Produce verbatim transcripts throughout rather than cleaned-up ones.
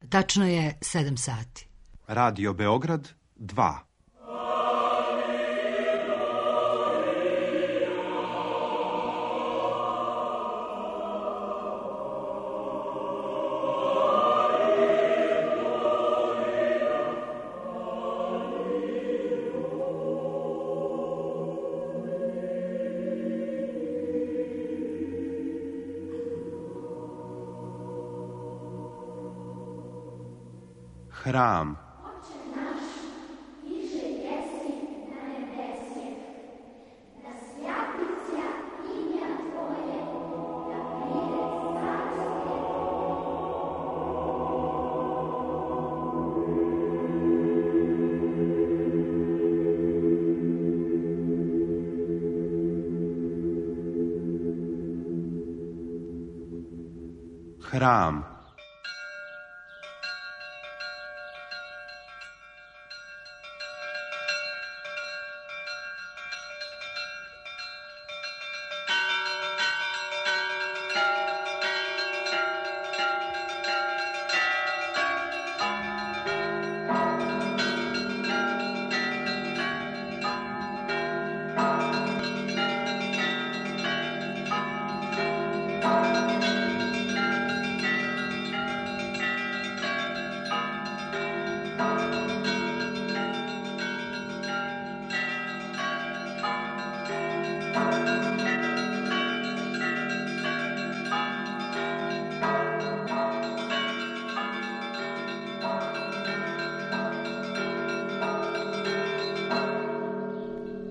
Tačno je sedam sati. Radio Beograd dva. Hram. Hram.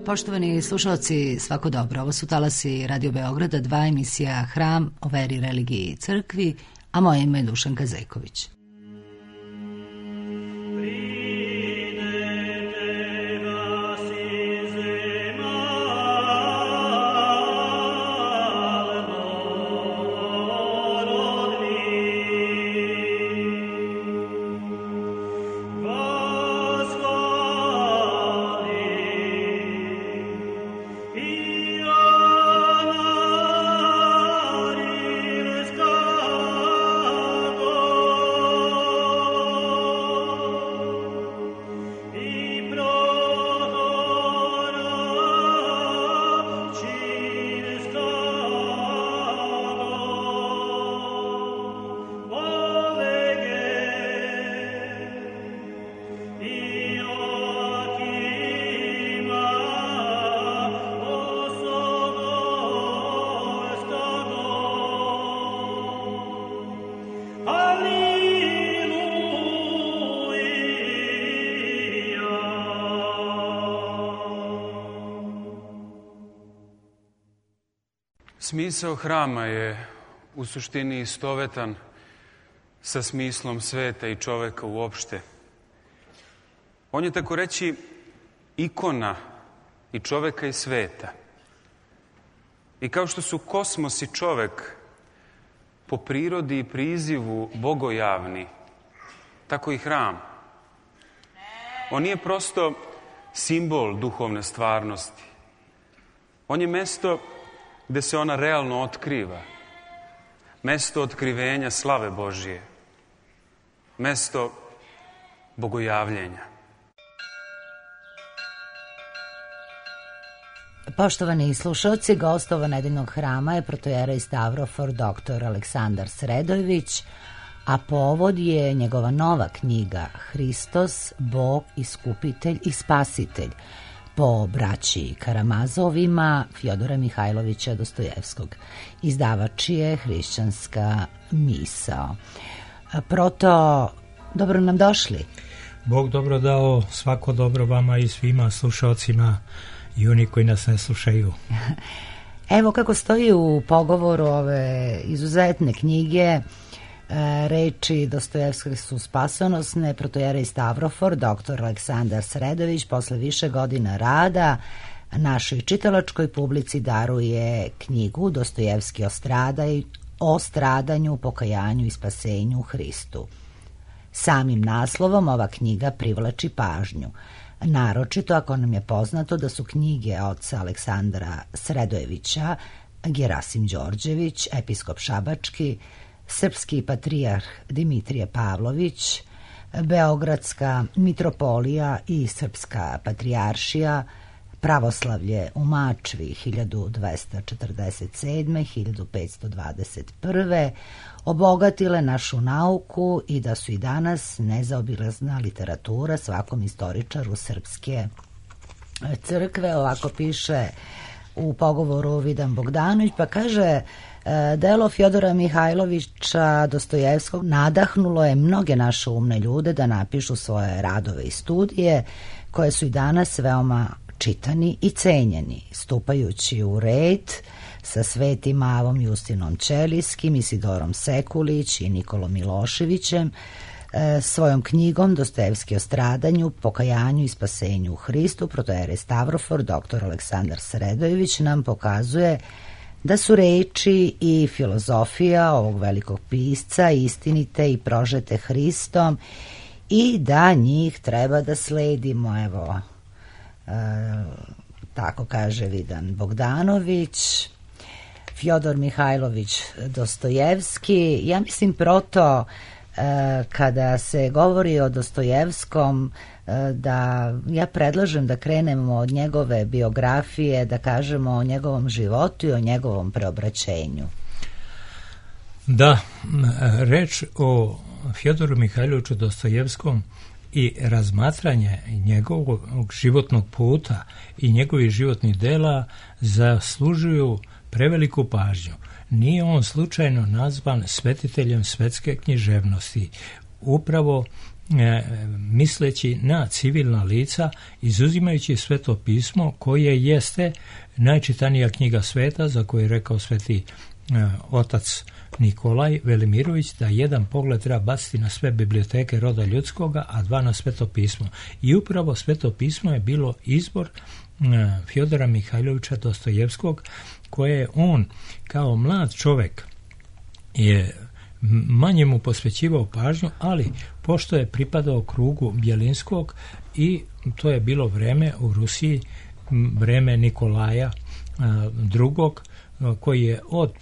Poštovani slušalci, svako dobro. Ovo su talasi Radio Beograda, dva, emisija Hram o veri, religiji i crkvi, a moje ime je Dušanka Zejković. Smisao hrama je u suštini istovetan sa smislom sveta i čoveka uopšte. On je, tako reći, ikona i čoveka i sveta. I kao što su kosmos i čovek po prirodi i prizivu bogojavni, tako i hram. On nije prosto simbol duhovne stvarnosti. On je mesto gde se ona realno otkriva. Mesto otkrivenja slave Božije. Mesto bogojavljenja. Poštovani slušalci, gost ovo nedeljnog hrama je protojerej Stavrofor doktor Aleksandar Sredojević, a povod je njegova nova knjiga Hristos, Bog, Iskupitelj i Spasitelj, po braći Karamazovima Fjodora Mihajlovića Dostojevskog. Izdavač je Hrišćanska misao. Proto, dobro nam došli. Bog dobro dao, svako dobro vama i svima slušalcima i oni koji nas ne slušaju. Evo kako stoji u pogovoru ove izuzetne knjige, reči Dostojevskog su spasonosne. Protojerej Stavrofor doktor Aleksandar Sredojević posle više godina rada našoj čitalačkoj publici daruje knjigu Dostojevski o, stradaj, o stradanju, pokajanju i spasenju u Hristu. Samim naslovom ova knjiga privlači pažnju, naročito ako nam je poznato da su knjige oca Aleksandra Sredojevića, Gerasim Đorđević, episkop šabački, srpski patrijarh Dimitrije Pavlović, Beogradska mitropolija i Srpska patrijaršija, pravoslavlje u Mačvi hiljadu dvesta četrdeset sedme do hiljadu petsto dvadeset prve obogatile našu nauku i da su i danas nezaobilazna literatura svakom istoričaru srpske crkve. Ovako piše u pogovoru Vidan Bogdanović, pa kaže: delo Fjodora Mihajlovića Dostojevskog nadahnulo je mnoge naše umne ljude da napišu svoje radove i studije koje su i danas veoma čitani i cenjeni, stupajući u red sa Svetim Avom Justinom Ćelijskim, Isidorom Sekulić i Nikolom Miloševićem. E, svojom knjigom Dostojevski o stradanju, pokajanju i spasenju u Hristu, protojerej Stavrofor doktor Aleksandar Sredojević nam pokazuje da su reči i filozofija ovog velikog pisca istinite i prožete Hristom i da njih treba da sledimo. Evo, e, tako kaže Vidan Bogdanović. Fjodor Mihajlović Dostojevski, ja mislim proto kada se govori o Dostojevskom, da ja predlažem da krenemo od njegove biografije, da kažemo o njegovom životu i o njegovom preobraćenju. Da, reč o Fjodoru Mihajloviću Dostojevskom i razmatranje njegovog životnog puta i njegovih životnih dela zaslužuju preveliku pažnju. Nije on slučajno nazvan svetiteljem svetske književnosti, upravo e, misleći na civilna lica, izuzimajući Sveto pismo koje jeste najčitanija knjiga sveta, za koju je rekao sveti e, otac Nikolaj Velimirović da jedan pogled treba baciti na sve biblioteke roda ljudskoga, a dva na Sveto pismo. I upravo Sveto pismo je bilo izbor e, Fjodora Mihajlovića Dostojevskog, koje je on kao mlad čovjek je manje mu posvećivao pažnju, ali pošto je pripadao krugu Bjelinskog i to je bilo vreme u Rusiji, vreme Nikolaja drugog, koji je od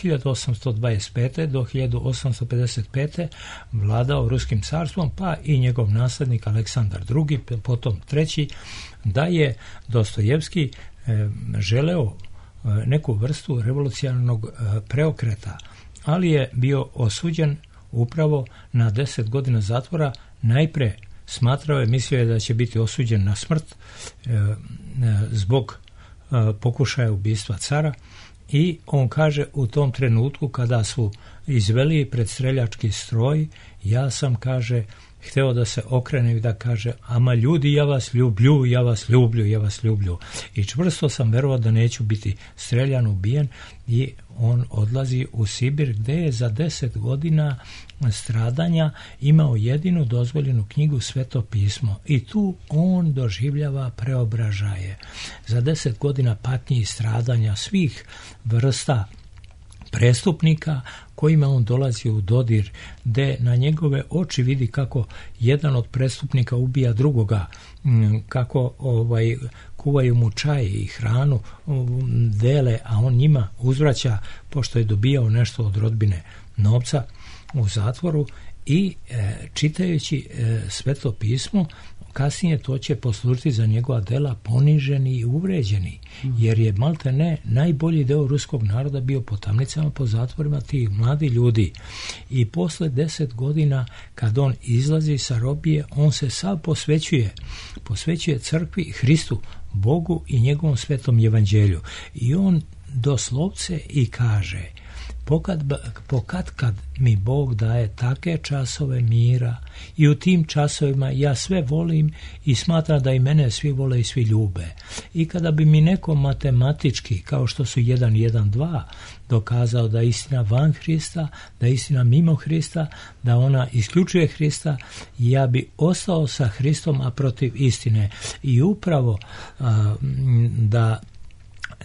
hiljadu osamsto dvadeset pete do hiljadu osamsto pedeset pete vladao Ruskim carstvom, pa i njegov naslednik Aleksandar drugi, potom treći, da je Dostojevski želeo neku vrstu revolucionarnog preokreta, ali je bio osuđen upravo na deset godina zatvora. Najpre smatrao je, mislio je da će biti osuđen na smrt zbog pokušaja ubistva cara, i on kaže u tom trenutku kada su izveli pred streljački stroj, ja sam, kaže, hteo da se okrene i da kaže: ama ljudi, ja vas ljublju, ja vas ljublju, ja vas ljublju. I čvrsto sam verovao da neću biti streljan, ubijen, i on odlazi u Sibir, gde je za deset godina stradanja imao jedinu dozvoljenu knjigu Sveto pismo. I tu on doživljava preobražaje. Za deset godina patnji i stradanja svih vrsta prestupnika kojima on dolazi u dodir, gde na njegove oči vidi kako jedan od prestupnika ubija drugoga, kako ovaj kuvaju mu čaj i hranu, dele, a on njima uzvraća, pošto je dobijao nešto od rodbine novca u zatvoru. I e, čitajući e, Sveto pismo, kasnije to će poslužiti za njegova dela poniženi i uvređeni, jer je malte ne najbolji deo ruskog naroda bio po tamnicama, po zatvorima, tih mladi ljudi. I posle deset godina kad on izlazi sa robije, on se sav posvećuje posvećuje crkvi, Hristu, Bogu i njegovom svetom evanđelju. I on doslovce i kaže: Pokad, pokad kad mi Bog daje take časove mira, i u tim časovima ja sve volim i smatram da i mene svi vole i svi ljube. I kada bi mi neko matematički, kao što su jedan, jedan, dva, dokazao da je istina van Hrista, da je istina mimo Hrista, da ona isključuje Hrista, ja bi ostao sa Hristom, a protiv istine. I upravo a, da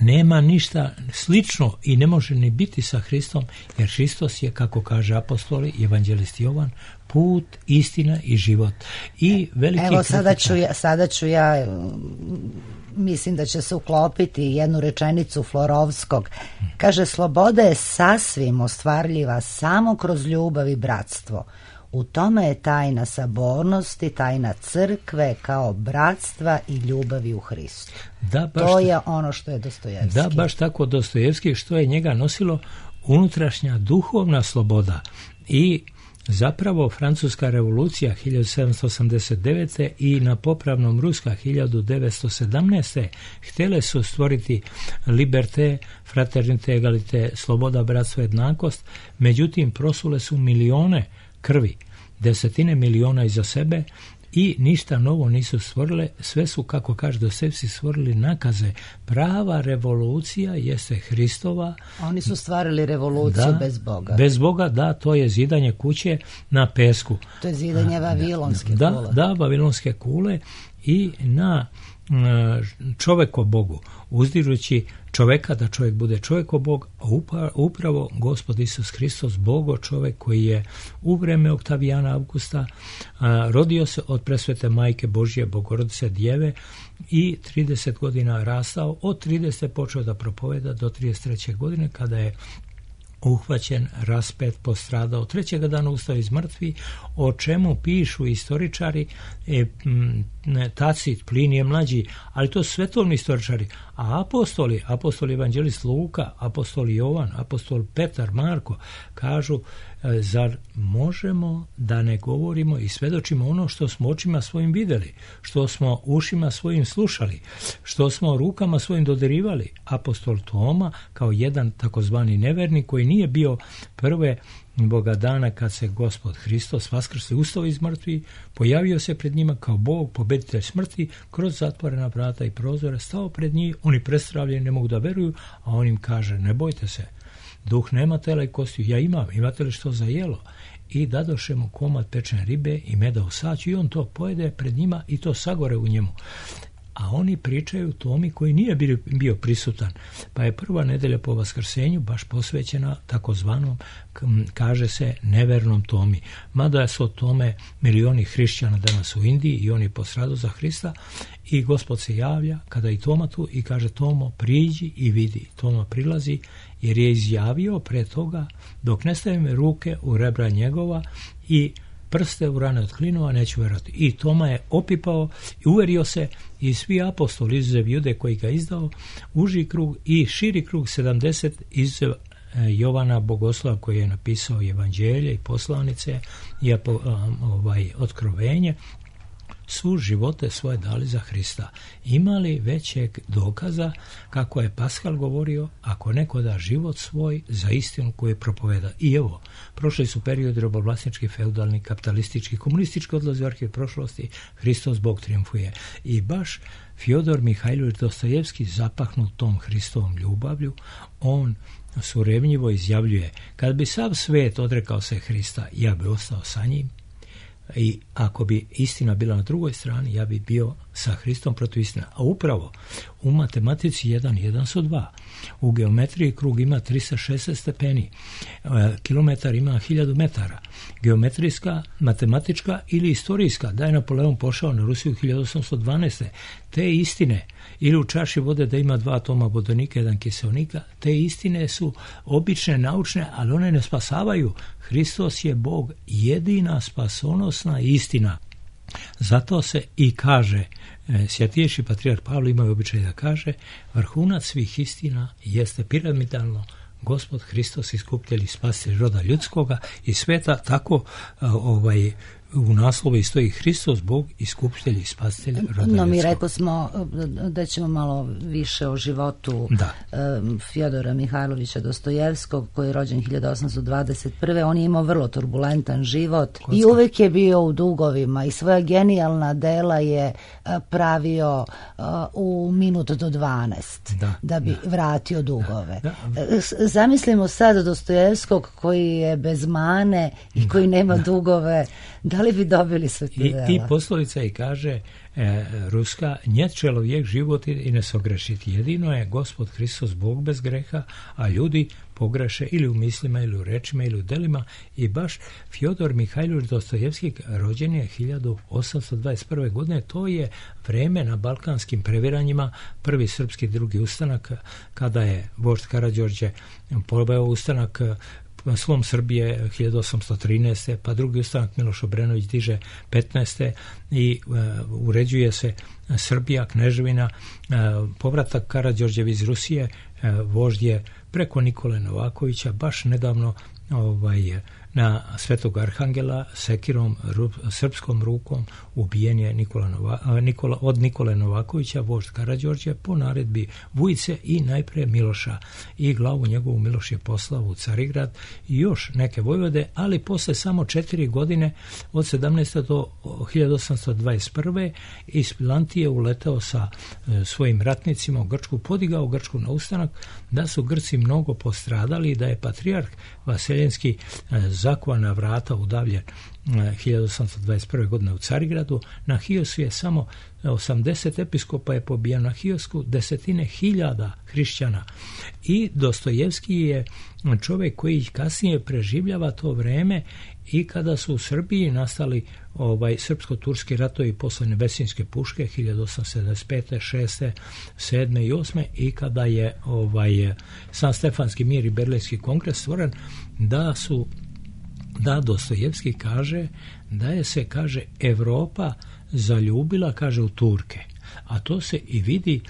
nema ništa slično i ne može ni biti sa Hristom, jer Hristos je, kako kaže apostoli, evanđelist Jovan, put, istina i život. I veliki Evo sada ću, ja, sada ću ja mislim da će se uklopiti jednu rečenicu Florovskog. Kaže, sloboda je sasvim ostvarljiva samo kroz ljubav i bratstvo. U tome je tajna sabornosti, tajna crkve kao bratstva i ljubavi u Hristu. Da, baš to je ono što je Dostojevski. Da, baš tako Dostojevski, što je njega nosilo unutrašnja duhovna sloboda. I zapravo Francuska revolucija hiljadu sedamsto osamdeset devete i na popravnom Ruska hiljadu devetsto sedamnaeste htjele su stvoriti liberté, fraternité, egalité, sloboda, bratstvo, jednakost, međutim prosule su milione krvi, desetine miliona iza sebe i ništa novo nisu stvorile, sve su, kako kaže Dostojevski, stvorili nakaze. Prava revolucija jeste Hristova. Oni su stvarili revoluciju da, bez Boga. Bez Boga, da, to je zidanje kuće na pesku. To je zidanje vavilonske da, kule. Da, vavilonske kule i na čovjeko Bogu, uzdižući čovjeka da čovjek bude čovjeko Bog, a upravo Gospod Isus Hristos, Bogo čovjek koji je u vreme Oktavijana Augusta a, rodio se od presvete Majke Božje Bogorodice Djeve i trideset godina rastao, od trideset počeo da propoveda do trideset treće godine kada je uhvaćen, raspet, postradao, trećega dana ustao iz mrtvi, o čemu pišu istoričari, e, m, Tacit, Plinije mlađi, ali to su svetovni istoričari, a apostoli, apostoli evanđelist Luka, apostoli Jovan, apostol Petar, Marko, kažu, e, zar možemo da ne govorimo i svedočimo ono što smo očima svojim vidjeli, što smo ušima svojim slušali, što smo rukama svojim dodirivali. Apostol Toma, kao jedan takozvani nevernik koji nije bio prve Boga dana kad se Gospod Hristos vaskrsli, ustao iz mrtvi, pojavio se pred njima kao Bog, pobeditelj smrti, kroz zatvorena vrata i prozore, stao pred njih, oni prestravljeni ne mogu da veruju, a on im kaže, ne bojte se, duh nema tela i kostiju, ja imam, imate li što za jelo? I dadoše mu komad pečene ribe i meda u saću i on to pojede pred njima i to sagore u njemu. A oni pričaju Tomi koji nije bio, bio prisutan. Pa je prva nedelja po vaskrsenju baš posvećena takozvanom, kaže se, nevernom Tomi. Mada su od tome milioni hrišćana danas u Indiji i oni postradaju za Hrista i Gospod se javlja kada i Toma tu i kaže, Tomo, priđi i vidi. Toma prilazi jer je izjavio pre toga, dok ne stavim ruke u rebra njegova i prste u rane od klinova, neću verovati. I Toma je opipao i uverio se i svi apostoli, izuzev Jude koji ga izdao, uži krug i širi krug sedamdeset izuzev Jovana Bogoslava koji je napisao evanđelje i poslanice i ovaj, otkrovenje, su živote svoje dali za Hrista. Imali većeg dokaza, kako je Paskal govorio, ako neko da život svoj za istinu koju propoveda. I evo, prošli su periodi robovlasnički, feudalni, kapitalistički, komunistički, odlazi u arhiv prošlosti, Hristos Bog triumfuje. I baš Fjodor Mihajlović Dostojevski, zapahnut tom Hristovom ljubavlju, on surevnjivo izjavljuje, kad bi sav svet odrekao se Hrista, ja bi ostao sa njim. I ako bi istina bila na drugoj strani, ja bi bio sa Hristom protiv istina. A upravo u matematici jedan jedan su dva. U geometriji krug ima tristo šezdeset stepeni. Kilometar ima hiljadu metara. Geometrijska, matematička ili istorijska, da je Napoleon pošao na Rusiju hiljadu osamsto dvanaeste. Te istine, ili u čaši vode da ima dva atoma vodonika, jedan kiseonika, te istine su obične, naučne, ali one ne spasavaju. Hristos je Bog, jedina spasonosna istina. Zato se i kaže, svjatijši patrijarh Pavle imaju običaj da kaže, vrhunac svih istina jeste piramidalno Gospod Hristos, iskupitelj i spasitelj roda ljudskoga i sveta, tako ovaj u naslovu stoji Hristos, Bog, iskupitelj i spasitelj roda ljudskoga. No, mi rekao smo da ćemo malo više o životu da. Fjodora Mihajlovića Dostojevskog, koji je rođen hiljadu osamsto dvadeset prve. On je imao vrlo turbulentan život Kocka. I uvek je bio u dugovima i svoja genijalna dela je pravio u minut do dvanaest da, da bi da. vratio dugove. Da, da. Zamislimo sad Dostojevskog koji je bez mane i koji nema da. dugove. Da li bi dobili sve te dela? I, i poslovica i kaže, e, ruska, njet čelovijek život i ne sogrešiti. Jedino je Gospod Hristos Bog bez greha, a ljudi pogreše ili u mislima, ili u rečima, ili u delima. I baš Fjodor Mihajlović Dostojevski rođen je hiljadu osamsto dvadeset prve. godine. To je vreme na balkanskim previranjima, prvi srpski, drugi ustanak, kada je vožd Karađorđe poveo ustanak slom Srbije hiljadu osamsto trinaeste. pa drugi ustanak Miloš Obrenović diže petnaeste. i uh, uređuje se Srbija, kneževina, uh, povratak Karađorđevi iz Rusije, uh, vožd je preko Nikole Novakovića baš nedavno ovaj, na Svetog Arhangela sekirom, ru, srpskom rukom ubijen je Nikola Nova, Nikola, od Nikole Novakovića, vožd Karađorđe, po naredbi Vujice i najpre Miloša. I glavu njegovu Miloš je poslao u Carigrad i još neke vojvode, ali posle samo četiri godine, od sedamnaeste do hiljadu osamsto dvadeset prve. iz Pilantije uletao sa e, svojim ratnicima u Grčku, podigao Grčku na ustanak, da su Grci mnogo postradali i da je patrijarh Vaseljenski e, zakuvana vrata udavljen hiljadu osamsto dvadeset prve. godine u Carigradu. Na Hiosu je samo osamdeset episkopa je pobijeno, na Hiosku desetine hiljada hrišćana. I Dostojevski je čovjek koji kasnije preživljava to vreme i kada su u Srbiji nastali ovaj srpsko-turski ratovi posle Nevesinjske puške hiljadu osamsto sedamdeset pete, šeste, sedme i osme. i kada je ovaj San Stefanski mir i Berlinski kongres stvoren, da su da Dostojevski kaže da je se, kaže, Evropa zaljubila, kaže, u Turke. A to se i vidi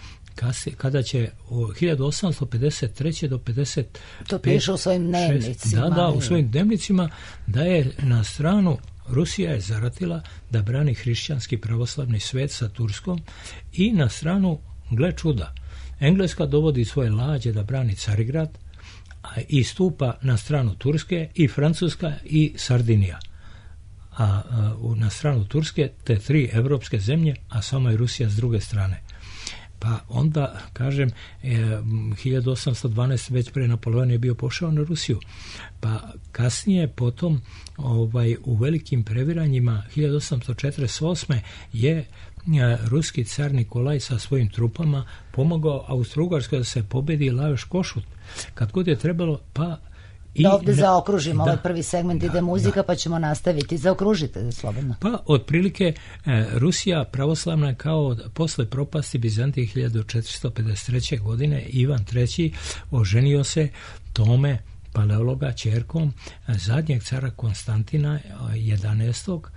kada će u hiljadu osamsto pedeset treće do pedeset pete. To piše u svojim dnevnicima. Da, da, u svojim dnevnicima, da je na stranu Rusija je zaratila da brani hrišćanski pravoslavni svet sa Turskom i na stranu, gle čuda, Engleska dovodi svoje lađe da brani Carigrad i stupa na stranu Turske, i Francuska i Sardinija. A, a na stranu Turske te tri evropske zemlje, a samo je Rusija s druge strane. Pa onda, kažem, e, hiljadu osamsto dvanaeste. već pre Napoleona je bio pošao na Rusiju. Pa kasnije, potom, ovaj, u velikim previranjima hiljadu osamsto četrdeset osme. je ruski car Nikolaj sa svojim trupama pomogao Austro-Ugarskoj da se pobedi Lajos Košut. Kad god je trebalo, pa i da ovdje ne, zaokružimo, da, ovaj prvi segment ide da, muzika, da. pa ćemo nastaviti. Zaokružite slobodno. Pa, otprilike, e, Rusija pravoslavna je kao posle propasti Bizantije hiljadu četiristo pedeset treće. godine Ivan treći. oženio se Tome Paleologa ćerkom zadnjeg cara Konstantina jedanaestog.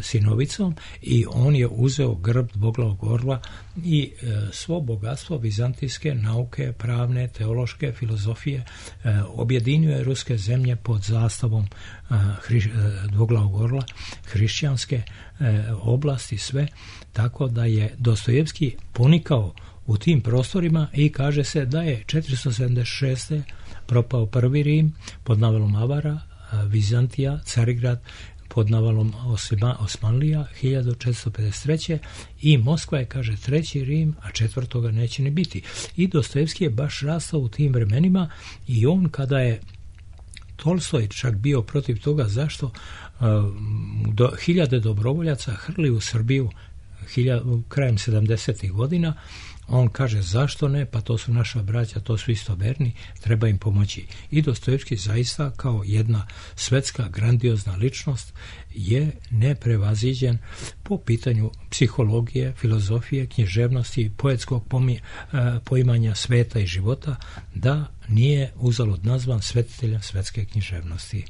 sinovicom, i on je uzeo grb dvoglavog orla i svo bogatstvo vizantijske nauke, pravne, teološke, filozofije objedinio je ruske zemlje pod zastavom dvoglavog orla, hrišćanske oblasti, sve, tako da je Dostojevski ponikao u tim prostorima i kaže se da je četiristo sedamdeset šeste. propao prvi Rim pod navalom Avara, Vizantija, Carigrad pod navalom Osma, Osmanlija hiljadu četiristo pedeset treće. i Moskva je, kaže, treći Rim, a četvrtoga neće ni biti. I Dostojevski je baš rastao u tim vremenima i on, kada je Tolstoj čak bio protiv toga, zašto uh, do, hiljade dobrovoljaca hrli u Srbiju hiljad, krajem sedamdesetih. godina, on kaže, zašto ne, pa to su naša braća, to su istoverni, treba im pomoći. I Dostojevski zaista kao jedna svetska grandiozna ličnost je neprevaziđen po pitanju psihologije, filozofije, književnosti, poetskog pomi, poimanja sveta i života, da nije uzalud nazvan svetiteljem svetske književnosti.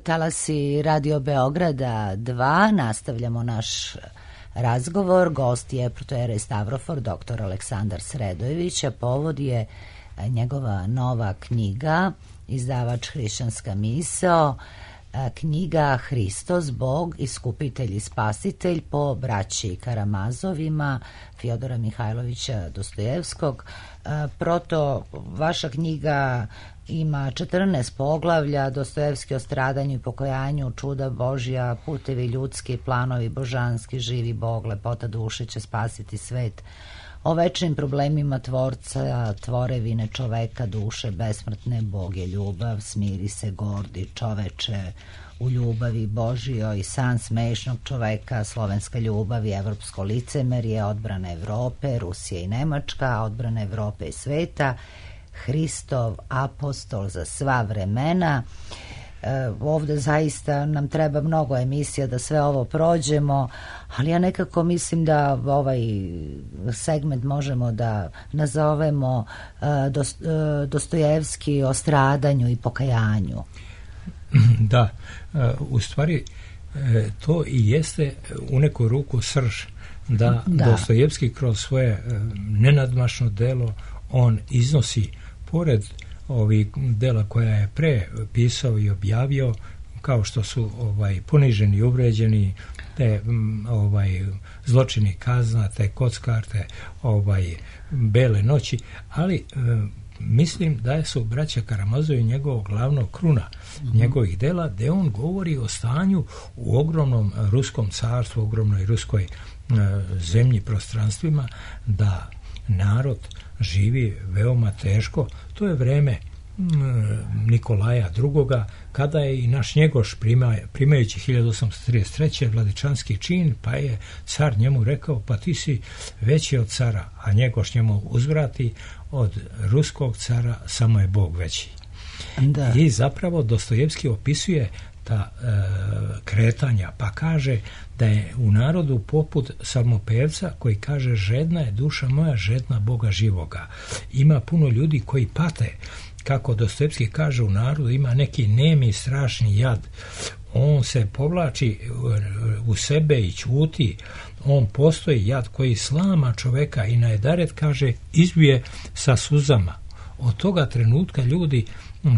talasi Radio Beograda dva, nastavljamo naš razgovor. Gost je protojerej Stavrofor, doktor Aleksandar Sredojević, a povod je njegova nova knjiga, izdavač Hrišćanska misao, knjiga Hristos, Bog, iskupitelj i spasitelj po braći Karamazovima, Fjodora Mihajlovića Dostojevskog. Proto, vaša knjiga ima četrnaest poglavlja, Dostojevski o stradanju i pokojanju, čuda Božja, putevi ljudski, planovi božanski, živi Bog, lepota duše će spasiti svet, o večnim problemima tvorca, tvorevine čoveka, duše besmrtne, Bog je ljubav, smiri se gordi čoveče u ljubavi Božjoj, san smešnog čoveka, slovenska ljubav i evropsko licemerje, odbrana Evrope, Rusija i Nemačka, odbrana Evrope i sveta, Hristov apostol za sva vremena. E, ovde zaista nam treba mnogo emisija da sve ovo prođemo, ali ja nekako mislim da ovaj segment možemo da nazovemo e, Dost, e, Dostojevski o stradanju i pokajanju. Da, u stvari to i jeste u neku ruku srž, da, da. Dostojevski kroz svoje nenadmašno delo on iznosi, pored ovih dela koja je pre pisao i objavio, kao što su ovaj poniženi i uvređeni, te ovaj zločini kazna, te kockarte, ovaj bele noći, ali e, mislim da su braća Karamazovi njegovog glavnog kruna mm-hmm. njegovih dela, gde on govori o stanju u ogromnom ruskom carstvu, ogromnoj ruskoj e, zemlji, prostranstvima, da narod živi veoma teško. To je vreme Nikolaja drugoga, kada je i naš Njegoš prima, primajući hiljadu osamsto trideset treće vladičanski čin, pa je car njemu rekao, pa ti si veći od cara, a Njegoš njemu uzvrati, od ruskog cara samo je Bog veći. Da. I zapravo Dostojevski opisuje ta e, kretanja, pa kaže da je u narodu poput samopevca koji kaže žedna je duša moja, žedna Boga živoga. Ima puno ljudi koji pate, kako Dostojevski kaže, u narodu ima neki nemi strašni jad. On se povlači u sebe i ćuti. On postoji jad koji slama čoveka i najedaret, kaže, izbije sa suzama. Od toga trenutka ljudi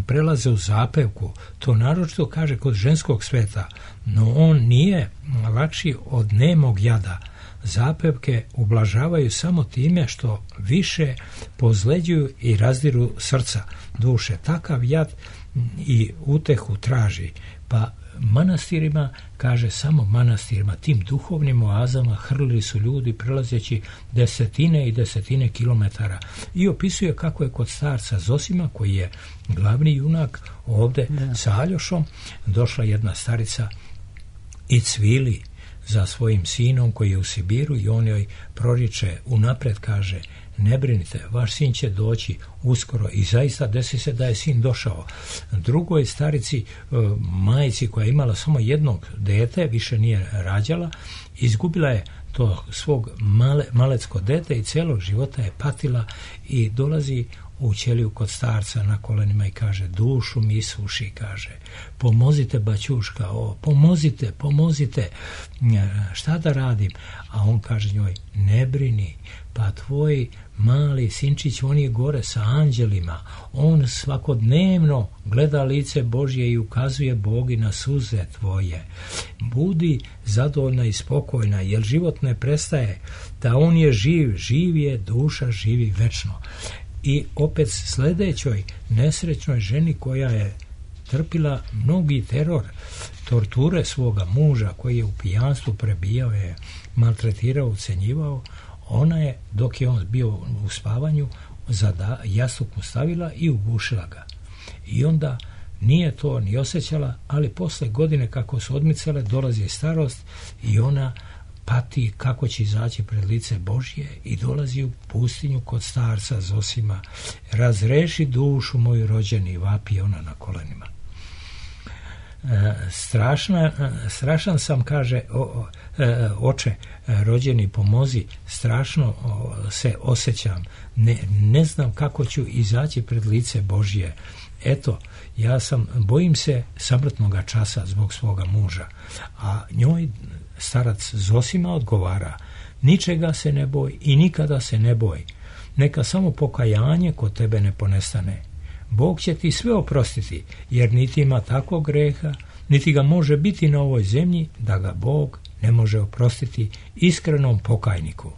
prelaze u zapevku. To naročito kaže kod ženskog sveta, no on nije lakši od nemog jada. Zapevke ublažavaju samo time što više pozleđuju i razdiru srca duše. Takav jad i utehu traži. Pa manastirima, kaže, samo manastirima, tim duhovnim oazama hrlili su ljudi prelazeći desetine i desetine kilometara. I opisuje kako je kod starca Zosima, koji je glavni junak ovde, da. Sa Aljošom, došla jedna starica i cvili za svojim sinom koji je u Sibiru i on joj proriče unapred, kaže, ne brinite, vaš sin će doći uskoro, i zaista desi se da je sin došao. Drugoj starici, majci koja je imala samo jednog dete, više nije rađala, izgubila je to svog male, malecko dete i celog života je patila i dolazi u ćeliju kod starca na kolenima i kaže, dušu mi isuši, kaže, pomozite baćuška, o, pomozite, pomozite, šta da radim? A on kaže njoj, ne brini, pa tvoj mali sinčić, on je gore sa anđelima, on svakodnevno gleda lice Božje i ukazuje Bogi na suze tvoje. Budi zadovoljna i spokojna, jer život ne prestaje, da on je živ, živ je, duša živi večno. I opet sledećoj nesrećnoj ženi koja je trpila mnogi teror, torture svoga muža koji je u pijanstvu prebijao je, maltretirao, ucenjivao, ona je, dok je on bio u spavanju, za jastuk mu stavila i ugušila ga. I onda nije to ni osjećala, ali posle godine kako su odmicale, dolazi starost i ona pati kako će izaći pred lice Božje i dolazi u pustinju kod starca Zosima. Razreši dušu moju, rođeni, vapi ona na kolenima. E, strašna, strašan sam, kaže, o, o, e, oče, rođeni, pomozi, strašno o, se osjećam, ne, ne znam kako ću izaći pred lice Božje. eto, ja sam, bojim se samrtnoga časa zbog svoga muža. A njoj starac Zosima odgovara, ničega se ne boj i nikada se ne boj. Neka samo pokajanje kod tebe ne ponestane. Bog će ti sve oprostiti, jer niti ima takvog greha, niti ga može biti na ovoj zemlji, da ga Bog ne može oprostiti iskrenom pokajniku.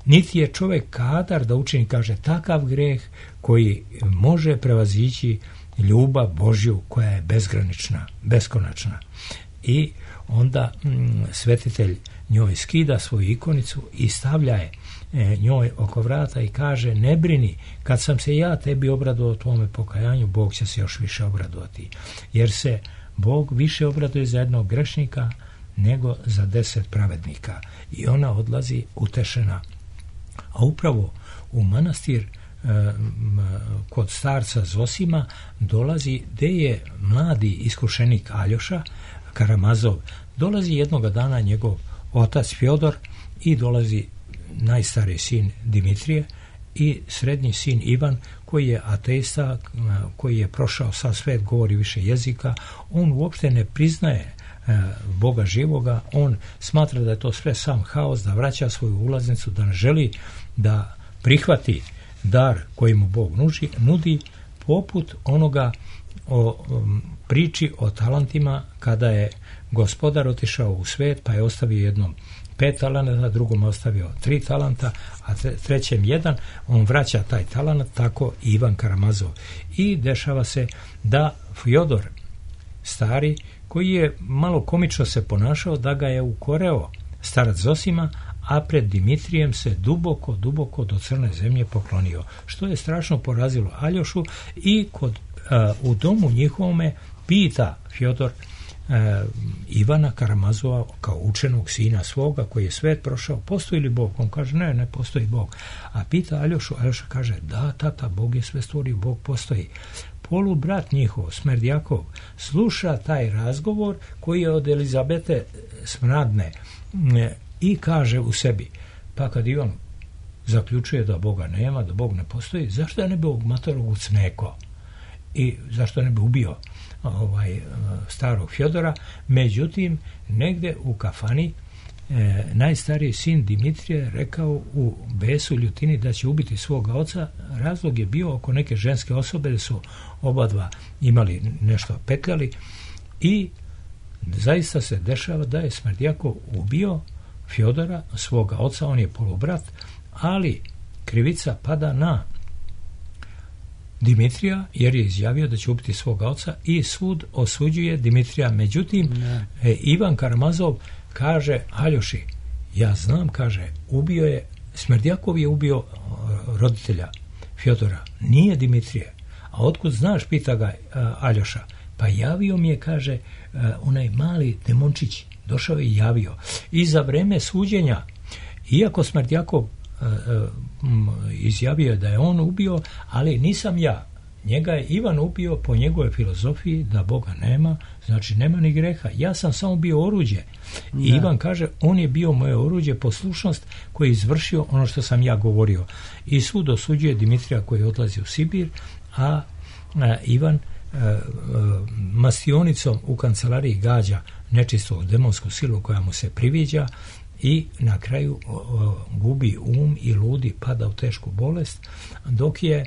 Niti je čovjek kadar da učini, kaže, takav greh koji može prevazići ljubav Božju koja je bezgranična, beskonačna. I onda mm, svetitelj njoj skida svoju ikonicu i stavlja je e, njoj oko vrata i kaže, ne brini, kad sam se ja tebi obradovao tvome pokajanju, Bog će se još više obradovati. Jer se Bog više obraduje za jednog grešnika nego za deset pravednika. I ona odlazi utešena. A upravo u manastir e, kod starca Zosima dolazi, gde je mladi iskušenik Aljoša Karamazov, dolazi jednoga dana njegov otac Fjodor i dolazi najstariji sin Dimitrije i srednji sin Ivan, koji je ateista, koji je prošao sav svet, govori više jezika. On uopšte ne priznaje Boga živoga, on smatra da je to sve sam haos, da vraća svoju ulaznicu, da ne želi da prihvati dar koji mu Bog nuži, nudi, poput onoga o um, priči o talentima, kada je gospodar otišao u svet pa je ostavio jednom pet talenata, drugom ostavio tri talenta, a trećem jedan, on vraća taj talent, tako i Ivan Karamazov. I dešava se da Fjodor stari, koji je malo komično se ponašao, da ga je ukoreo starac Zosima, a pred Dimitrijem se duboko, duboko do crne zemlje poklonio, što je strašno porazilo Aljošu i kod, uh, u domu njihovome pita Fjodor uh, Ivana Karamazova kao učenog sina svoga koji je svet prošao, postoji li Bog? On kaže, ne, ne postoji Bog. A pita Aljošu, Aljoša kaže, da, tata, Bog je sve stvorio, Bog postoji. Polu brat njihov, Smerdjakov, sluša taj razgovor koji je od Elizabete smradne i kaže u sebi, pa kad Ivan zaključuje da Boga nema, da Bog ne postoji, zašto je ne bi ovog matorogu cmeko i zašto ne bi ubio ovaj starog Fjodora? Međutim, negde u kafani E, najstariji sin Dimitrije rekao u besu, ljutini, da će ubiti svoga oca. Razlog je bio oko neke ženske osobe, da su oba dva imali nešto petljali i zaista se dešava da je Smerdjakov ubio Fjodora, svoga oca, on je polubrat, ali krivica pada na Dimitrija, jer je izjavio da će ubiti svoga oca i sud osuđuje Dimitrija. Međutim, e, Ivan Karamazov kaže Aljoši, ja znam, kaže, ubio je, Smerdjakov je ubio roditelja Fjodora, nije Dimitrije. A otkud znaš, pita ga Aljoša. Pa javio mi je, kaže, onaj mali demončić, došao je i javio. I za vreme suđenja, iako Smerdjakov izjavio da je on ubio, ali nisam ja. Njega je Ivan ubio po njegovoj filozofiji da Boga nema, znači nema ni greha. Ja sam samo bio oruđe. I da. Ivan kaže, on je bio moje oruđe, poslušnost koji je izvršio ono što sam ja govorio. I sud osuđuje Dimitrija koji odlazi u Sibir, a, a Ivan a, a, mastionicom u kancelariji gađa nečistu demonsku silu koja mu se priviđa i na kraju o, o, gubi um i ludi, pada u tešku bolest, dok je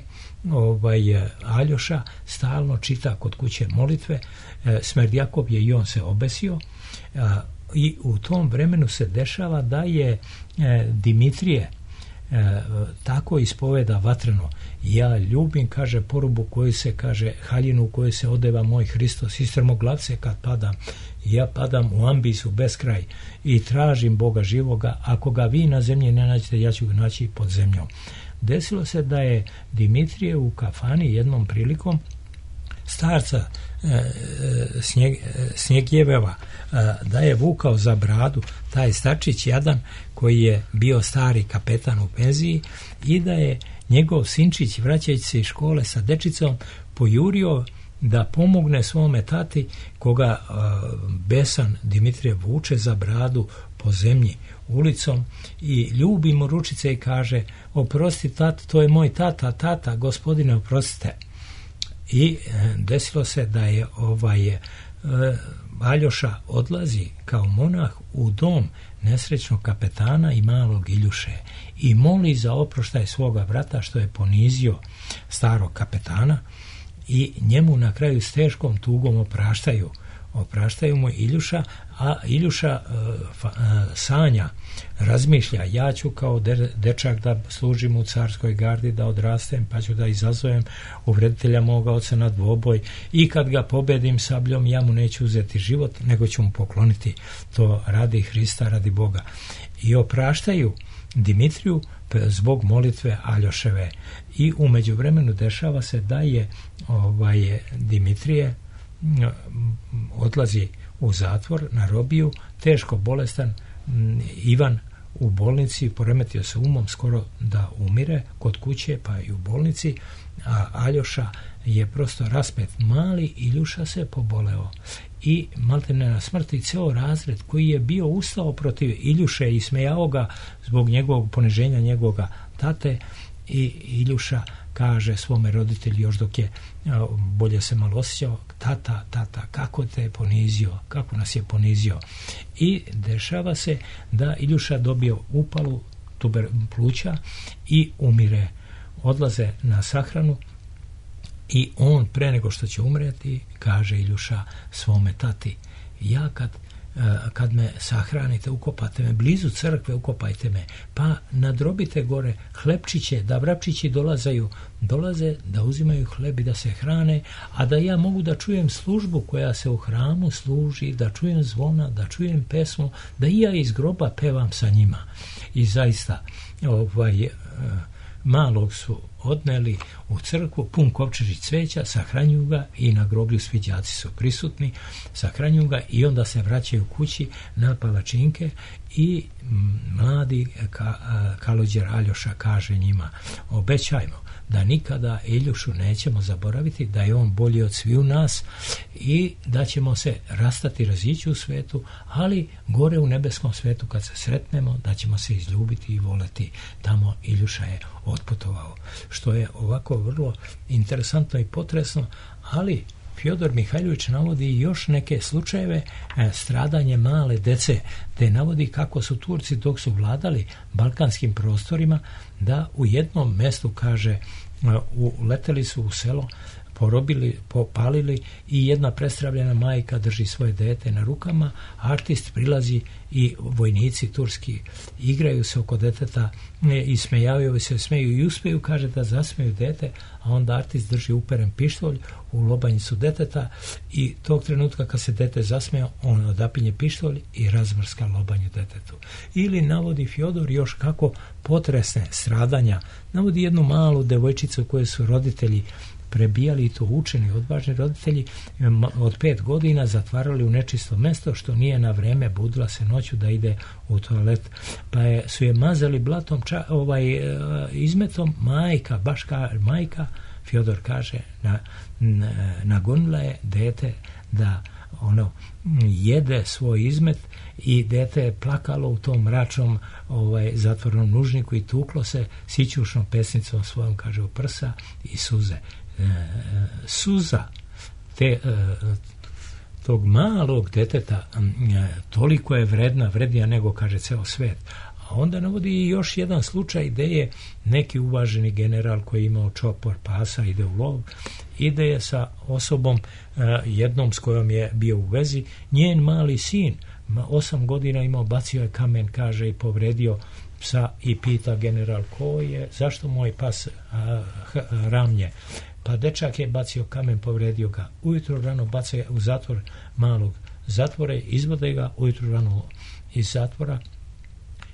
ovaj Aljoša stalno čita kod kuće molitve. e, Smerdjakov je i on se obesio, a, i u tom vremenu se dešava da je e, Dimitrije e, tako ispoveda vatreno, ja ljubim, kaže, porubu koju se, kaže, haljinu u kojoj se odeva moj Hristos, iz strmoglavce kad padam, ja padam u ambisu beskraj i tražim Boga živoga, ako ga vi na zemlji ne nađete, ja ću ga naći pod zemljom. Desilo se da je Dimitrije u kafani jednom prilikom starca e, snjeg, e, Snjegljeveva e, da je vukao za bradu taj starčić jadan koji je bio stari kapetan u penziji i da je njegov sinčić, vraćajući se iz škole sa dečicom, pojurio da pomogne svome tati, koga e, besan Dimitrije vuče za bradu po zemlji ulicom i ljubi mu ručice i kaže, oprosti tata, to je moj tata, tata, gospodine, oprostite. I desilo se da je ovaj e, Aljoša odlazi kao monah u dom nesrećnog kapetana i malog Iljuše i moli za oproštaj svoga brata što je ponizio starog kapetana i njemu na kraju s teškom tugom opraštaju. Opraštaju mu Iljuša, a Iljuša uh, uh, sanja, razmišlja, ja ću kao de, dečak da služim u carskoj gardi, da odrastem, pa ću da izazovem uvreditelja moga oca na dvoboj i kad ga pobedim sabljom, ja mu neću uzeti život, nego ću mu pokloniti to radi Hrista, radi Boga. I opraštaju Dimitriju zbog molitve Aljoševe. I u međuvremenu dešava se da je ovaj, Dimitrije odlazi u zatvor na robiju, teško bolestan, Ivan u bolnici, poremetio se umom, skoro da umire kod kuće, pa i u bolnici, a Aljoša je prosto raspet. Mali Iljuša se poboleo i maltene na smrti ceo razred koji je bio ustao protiv Iljuše i smejao ga zbog njegovog poniženja njegoga tate, i Iljuša kaže svome roditelju još dok je bolje se malo osjećao, tata, tata, kako te je ponizio, kako nas je ponizio. I dešava se da Iljuša dobio upalu tuber pluća i umire. Odlaze na sahranu i on pre nego što će umreti kaže Iljuša svome tati, ja kad kad me sahranite, ukopate me blizu crkve, ukopajte me, pa nadrobite gore hlebčiće, da vrapčići dolazaju, dolaze da uzimaju hleb i da se hrane, a da ja mogu da čujem službu koja se u hramu služi, da čujem zvona, da čujem pesmu, da i ja iz groba pevam sa njima. I zaista ovaj, malog su odneli u crkvu, pun kovčežić cveća, sahranjuju ga i na groblju svi đaci su prisutni, sahranjuju ga i onda se vraćaju kući na palačinke i mladi ka, kalođer Aljoša kaže njima, obećajmo da nikada Iljušu nećemo zaboraviti, da je on bolji od sviju nas i da ćemo se rastati, razići u svetu, ali gore u nebeskom svetu kad se sretnemo, da ćemo se izljubiti i voleti. Tamo Iljuša je otputovao. Što je ovako vrlo interesantno i potresno, ali Fjodor Mihajlović navodi još neke slučajeve e, stradanje male dece, te navodi kako su Turci dok su vladali balkanskim prostorima, da u jednom mestu, kaže, e, uleteli su u selo, porobili, popalili i jedna prestravljena majka drži svoje dete na rukama, artist prilazi i vojnici turski igraju se oko deteta i smejavaju se, smeju i uspeju, kaže, da zasmeju dete, a onda artist drži uperen pištolj u lobanjicu deteta i tog trenutka kad se dete zasmeja, on odapinje pištolj i razmrska lobanju detetu. Ili navodi Fjodor još kako potresne stradanja, navodi jednu malu devojčicu koju su roditelji prebijali, i to učeni, odvažni roditelji, od pet godina zatvarali u nečisto mesto, što nije na vreme, budila se noću da ide u toalet, pa je, su je mazali blatom, ča, ovaj, izmetom, majka, baš ka, majka, Fjodor kaže, na, na, nagonila je dete da ono jede svoj izmet i dete je plakalo u tom mračnom ovaj, zatvornom nužniku i tuklo se sićušnom pesnicom svojom, kaže, u prsa i suze. Suza te, tog malog deteta toliko je vredna, vrednija nego, kaže, ceo svet. A onda navodi još jedan slučaj gde je neki uvaženi general koji je imao čopor pasa, ide u lov, ide je sa osobom jednom s kojom je bio u vezi, njen mali sin, osam godina imao, bacio je kamen, kaže, i povredio psa i pita general, ko je, zašto moj pas a, h, ramlje? Pa dečak je bacio kamen, povredio ga. Ujutro rano baca u zatvor malog zatvore, izvode ga ujutro rano iz zatvora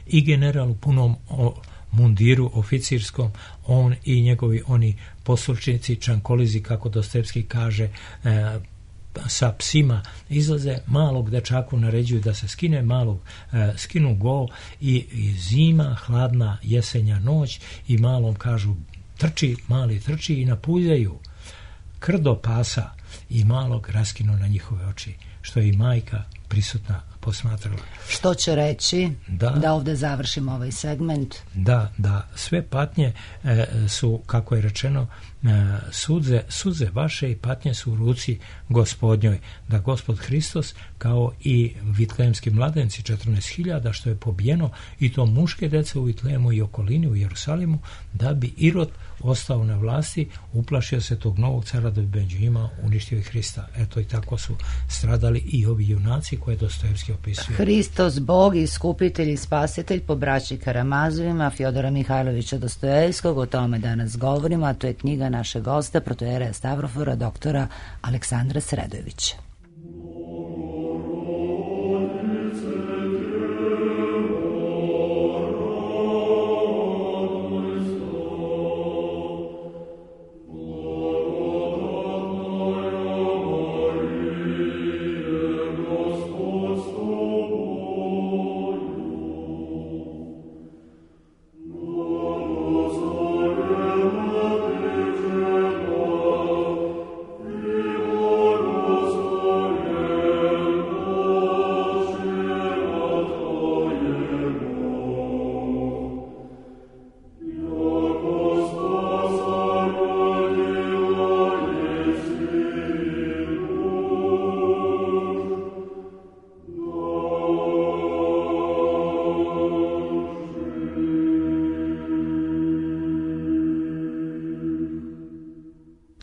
i general u punom o, mundiru oficirskom, on i njegovi oni poslušnici, čankolizi, kako Dostojevski kaže, e, sa psima izlaze, malog dečaku naređuju da se skine, malog e, skinu go i, i zima, hladna jesenja noć i malom kažu trči, mali trči i napuljaju krdo pasa i malog raskinu na njihove oči, što je i majka prisutna posmatrala. Što će reći da, da ovdje završimo ovaj segment? Da, da, sve patnje e, su, kako je rečeno, e, suze, suze vaše i patnje su u ruci Gospodnjoj. Da Gospod Hristos, kao i vitlejemski mladenci, četrnaest hiljada, što je pobijeno, i to muške dece u Vitlejemu i okolini u Jerusalimu, da bi Irod ostao na vlasti, uplašio se tog novog cara da bi među njima uništio i Hrista. Eto, i tako su stradali i ovi junaci koje Dostojevski opisuje. Hristos, Bog, iskupitelj i spasitelj po braći Karamazovima, Fjodora Mihajlovića Dostojevskog, o tome danas govorimo, a to je knjiga našeg gosta, protojereja Stavrofora, doktora Aleksandra Sredojevića.